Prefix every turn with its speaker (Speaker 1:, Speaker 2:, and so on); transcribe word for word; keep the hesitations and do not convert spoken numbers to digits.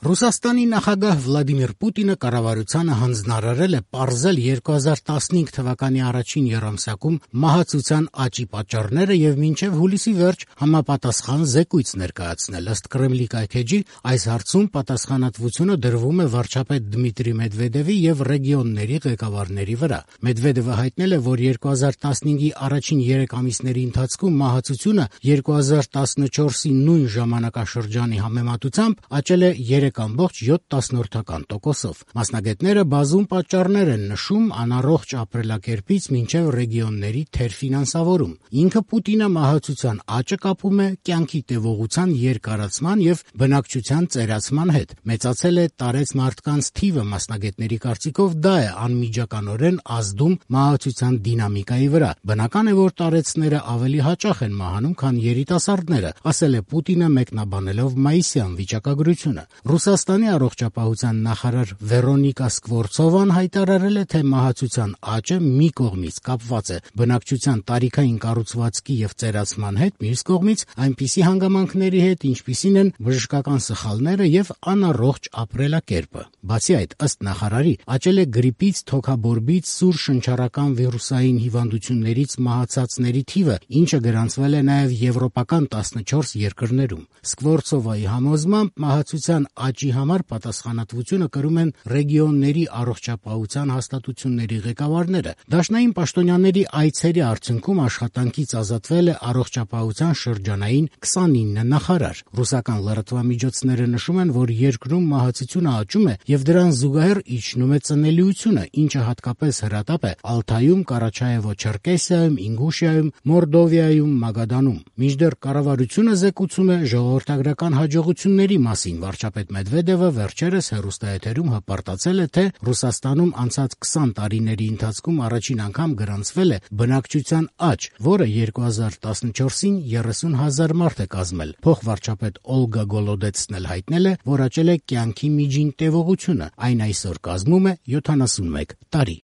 Speaker 1: Ռուսաստանի նախագահ Վլադիմիր Պուտինը կառավարությանը հանձնարարել է պարզել երկու հազար տասնհինգ թվականի առաջին եռամսյակում մահացության աճի պատճառները եւ մինչեւ հուլիսի վերջ համապատասխան զեկույց ներկայացնել։ Ըստ Կրեմլի կայքէջի, այս հարցում պատասխանատվությունը դրվում է վարչապետ Դմիտրի Մեդվեդևի եւ ռեգիոնների ղեկավարների վրա։ Մեդվեդևը հայտնել է, որ երկու հազար տասնհինգի առաջին երեք ամիսների ընթացքում մահացությունը երկու հազար տասնչորսի նույն ժամանակաշրջանի համեմատությամբ աճել է երեք ամբողջ յոթ տոկոսով։ Մասնագետները բազում պատճառներ են նշում անառողջ ապրելակերպից մինչև ռեգիոնների թերֆինանսավորում։ Ինքը Պուտինը մահացության աճը կապում է կյանքի տևողության երկարացման եւ բնակչության ծերացման հետ։ Մեծացել է տարեց մարդկանց թիվը, մասնագետների կարծիքով դա է անմիջականորեն ազդում մահացության դինամիկայի վրա։ Բնական է, որ տարեցները ավելի հաճախ են մահանում, քան երիտասարդները, ասել է Պուտինը մեկնաբանելով մայիսյան վիճակագրությունը։ Ռուսաստանի առողջապահության նախարար Վերոնիկա Սկվորցովան հայտարարել է, թե մահացության աճը մի կողմից կապված է բնակչության տարիքային կառուցվածքի եւ ծերացման հետ, մյուս կողմից այնպիսի հանգամանքների հետ, ինչպիսին են բժշկական սխալները եւ անառողջ ապրելակերպը։ Բացի այդ, ըստ նախարարի, աճել է գրիպից, թոքաբորբից, սուր շնչառական վիրուսային հիվանդություններից մահացածների թիվը, ինչը գրանցվել է նաեւ եվրոպական տասնչորս երկրներում։ Սկվորցովայի համոզմամբ մահացության աճի համար պատասխանատվությունը կրում են ռեգիոնների առողջապահության հաստատությունների ղեկավարները։ Դաշնային պաշտոնյաների այցերի արդյունքում աշխատանքից ազատվել է առողջապահության շրջանային քսանինը նախարար։ Ռուսական լրատվամիջոցները նշում են, որ երկրում մահացությունը աճում է եւ դրան զուգահեռ իջնում է ծնելիությունը, ինչը հատկապես հրատապ է Ալթայում, Կարաչաևո-Չերկեսիայում, Ինգուշիայում, Մորդովիայում, Մագադանում։ Մինչդեռ կառավարությունը զեկուցում է ժողովրդագրական հաջողությունների մասին։ Վարչապետ Մեդվեդևը վերջերս հեռուստաեթերում հպարտացել է, թե Ռուսաստանում անցած քսան տարիների ընթացքում առաջին անգամ գրանցվել է բնակչության աճ, որը երկու հազար տասնչորսին երեսուն հազար մարդ է կազմել։ Փոխվարչապետ Օլգա Գոլոդեցն էլ հայտնել է, որ աճել է կյանքի միջին տևողությունը, այն այսօր կազմում է յոթանասունմեկ տարի։